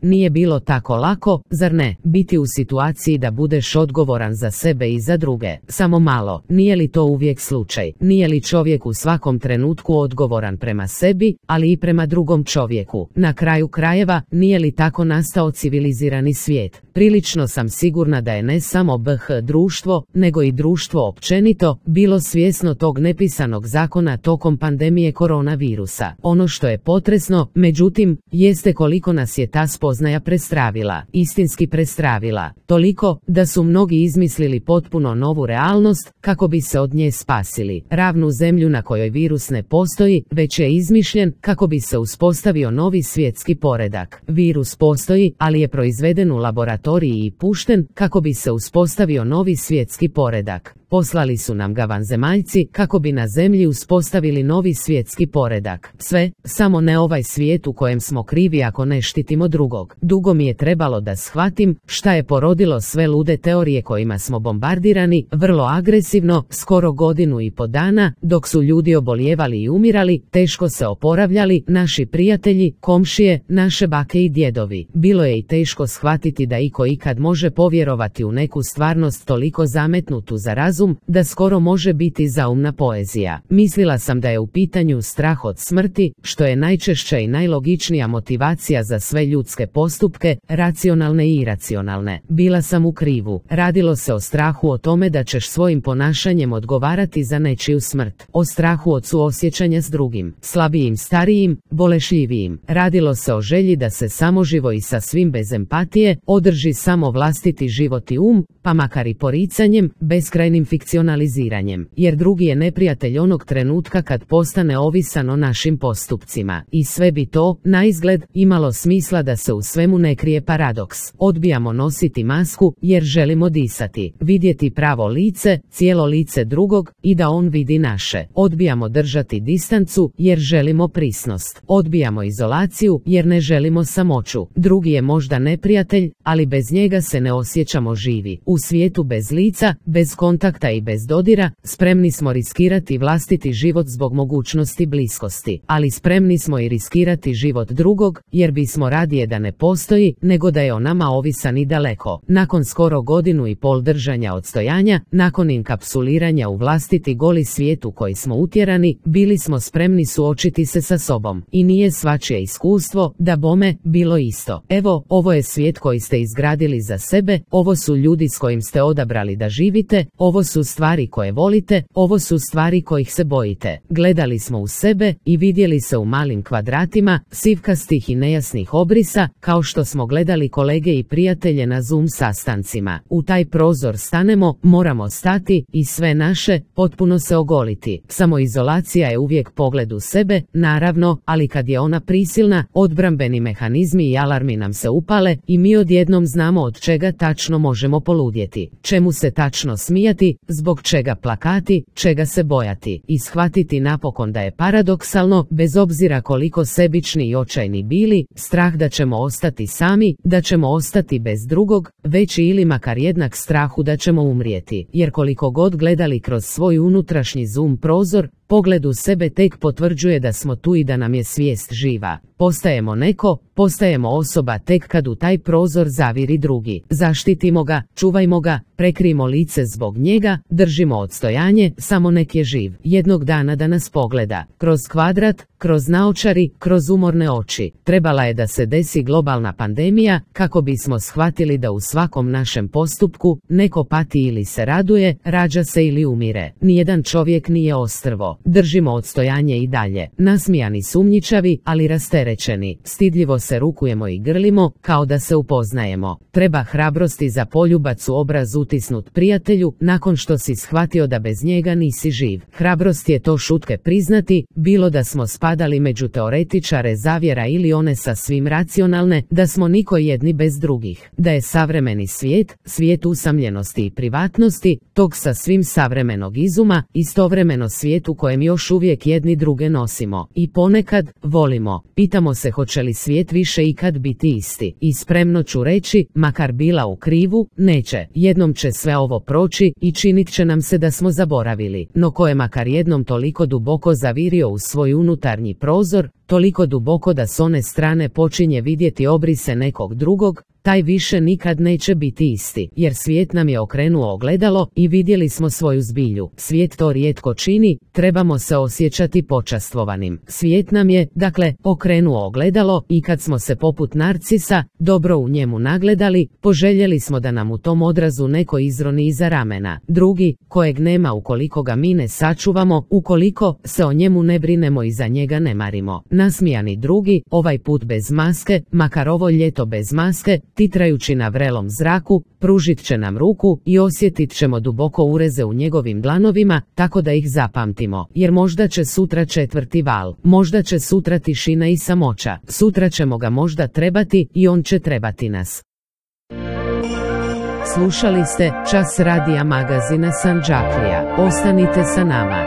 Nije bilo tako lako, zar ne, biti u situaciji da budeš odgovoran za sebe i za druge. Samo malo, nije li to uvijek slučaj? Nije li čovjek u svakom trenutku odgovoran prema sebi, ali i prema drugom čovjeku? Na kraju krajeva, nije li tako nastao civilizirani svijet? Prilično sam sigurna da je ne samo BH društvo, nego i društvo općenito, bilo svjesno tog nepisanog zakona tokom pandemije koronavirusa. Ono što je potresno, međutim, jeste koliko nas je ta spoznaja prestravila, istinski prestravila, toliko da su mnogi izmislili potpuno novu realnost kako bi se od nje spasili. Ravnu zemlju na kojoj virus ne postoji, već je izmišljen kako bi se uspostavio novi svjetski poredak. Virus postoji, ali je proizveden u laboratoriji i pušten kako bi se uspostavio novi svjetski poredak. Poslali su nam ga vanzemaljci kako bi na zemlji uspostavili novi svjetski poredak. Sve, samo ne ovaj svijet u kojem smo krivi ako ne štitimo drugog. Dugo mi je trebalo da shvatim šta je porodilo sve lude teorije kojima smo bombardirani, vrlo agresivno, skoro 1,5 godine dana, dok su ljudi obolijevali i umirali, teško se oporavljali, naši prijatelji, komšije, naše bake i djedovi. Bilo je i teško shvatiti da iko ikad može povjerovati u neku stvarnost toliko zametnutu za razum, da skoro može biti zaumna poezija. Mislila sam da je u pitanju strah od smrti, što je najčešća i najlogičnija motivacija za sve ljudske postupke, racionalne i iracionalne. Bila sam u krivu. Radilo se o strahu o tome da ćeš svojim ponašanjem odgovarati za nečiju smrt. O strahu od suosjećanja s drugim, slabijim, starijim, bolešljivijim. Radilo se o želji da se samoživo i sa svim bez empatije održi samo vlastiti život i pa makar i poricanjem, beskrajnim fikcionaliziranjem, jer drugi je neprijatelj onog trenutka kad postane ovisan o našim postupcima. I sve bi to, naizgled, imalo smisla da se u svemu ne krije paradoks. Odbijamo nositi masku jer želimo disati, vidjeti pravo lice, cijelo lice drugog i da on vidi naše. Odbijamo držati distancu jer želimo prisnost. Odbijamo izolaciju jer ne želimo samoću. Drugi je možda neprijatelj, ali bez njega se ne osjećamo živi. U svijetu bez lica, bez kontakta i bez dodira, spremni smo riskirati vlastiti život zbog mogućnosti bliskosti, ali spremni smo i riskirati život drugog, jer bismo radije da ne postoji, nego da je o nama ovisan i daleko. Nakon skoro 1,5 godine držanja odstojanja, nakon inkapsuliranja u vlastiti goli svijet u koji smo utjerani, bili smo spremni suočiti se sa sobom. I nije svačije iskustvo, da bome, bilo isto. Evo, ovo je svijet koji ste izgradili za sebe, ovo su ljudi s kojim ste odabrali da živite, ovo su stvari koje volite, ovo su stvari kojih se bojite. Gledali smo u sebe i vidjeli se u malim kvadratima, sivkastih i nejasnih obrisa, kao što smo gledali kolege i prijatelje na Zoom sastancima. U taj prozor stanemo, moramo stati i sve naše, potpuno se ogoliti. Samoizolacija je uvijek pogled u sebe, naravno, ali kad je ona prisilna, odbrambeni mehanizmi i alarmi nam se upale i mi odjednom znamo od čega tačno možemo poludjeti, čemu se tačno smijati, zbog čega plakati, čega se bojati, i shvatiti napokon da je paradoksalno, bez obzira koliko sebični i očajni bili, strah da ćemo ostati sami, da ćemo ostati bez drugog, veći ili makar jednak strahu da ćemo umrijeti, jer koliko god gledali kroz svoj unutrašnji Zoom prozor, pogled u sebe tek potvrđuje da smo tu i da nam je svijest živa. Postajemo neko, postajemo osoba tek kad u taj prozor zaviri drugi. Zaštitimo ga, čuvajmo ga, prekrijmo lice zbog njega, držimo odstojanje, samo nek je živ. Jednog dana da nas pogleda. Kroz kvadrat, kroz naočari, kroz umorne oči. Trebala je da se desi globalna pandemija, kako bismo shvatili da u svakom našem postupku neko pati ili se raduje, rađa se ili umire. Nijedan čovjek nije ostrvo. Držimo odstojanje i dalje. Nasmijani, sumnjičavi, ali rasterećeni. Stidljivo se rukujemo i grlimo, kao da se upoznajemo. Treba hrabrosti za poljubac u obraz utisnut prijatelju, nakon što si shvatio da bez njega nisi živ. Hrabrost je to šutke priznati, bilo da smo spadali među teoretičare zavjera ili one sasvim racionalne, da smo niko jedni bez drugih. Da je savremeni svijet, svijet usamljenosti i privatnosti, tog sasvim savremenog izuma, istovremeno svijet u kojem još uvijek jedni druge nosimo. I ponekad, volimo. Pitamo se hoće li svijet više ikad biti isti. I spremno ću reći, makar bila u krivu, neće. Jednom će sve ovo proći i činit će nam se da smo zaboravili. No ko je makar jednom toliko duboko zavirio u svoj unutarnji prozor, toliko duboko da s one strane počinje vidjeti obrise nekog drugog, taj više nikad neće biti isti, jer svijet nam je okrenuo ogledalo i vidjeli smo svoju zbilju. Svijet to rijetko čini, trebamo se osjećati počastvovanim. Svijet nam je, dakle, okrenuo ogledalo i kad smo se poput Narcisa dobro u njemu nagledali, poželjeli smo da nam u tom odrazu neko izroni iza ramena. Drugi, kojeg nema ukoliko ga mi ne sačuvamo, ukoliko se o njemu ne brinemo i za njega ne marimo. Nasmijani drugi, ovaj put bez maske, makar ovo ljeto bez maske, titrajući na vrelom zraku, pružit će nam ruku i osjetit ćemo duboko ureze u njegovim dlanovima, tako da ih zapamtimo, jer možda će sutra četvrti val, možda će sutra tišina i samoća, sutra ćemo ga možda trebati i on će trebati nas. Slušali ste Čas radija magazina Sandžaklija. Ostanite sa nama.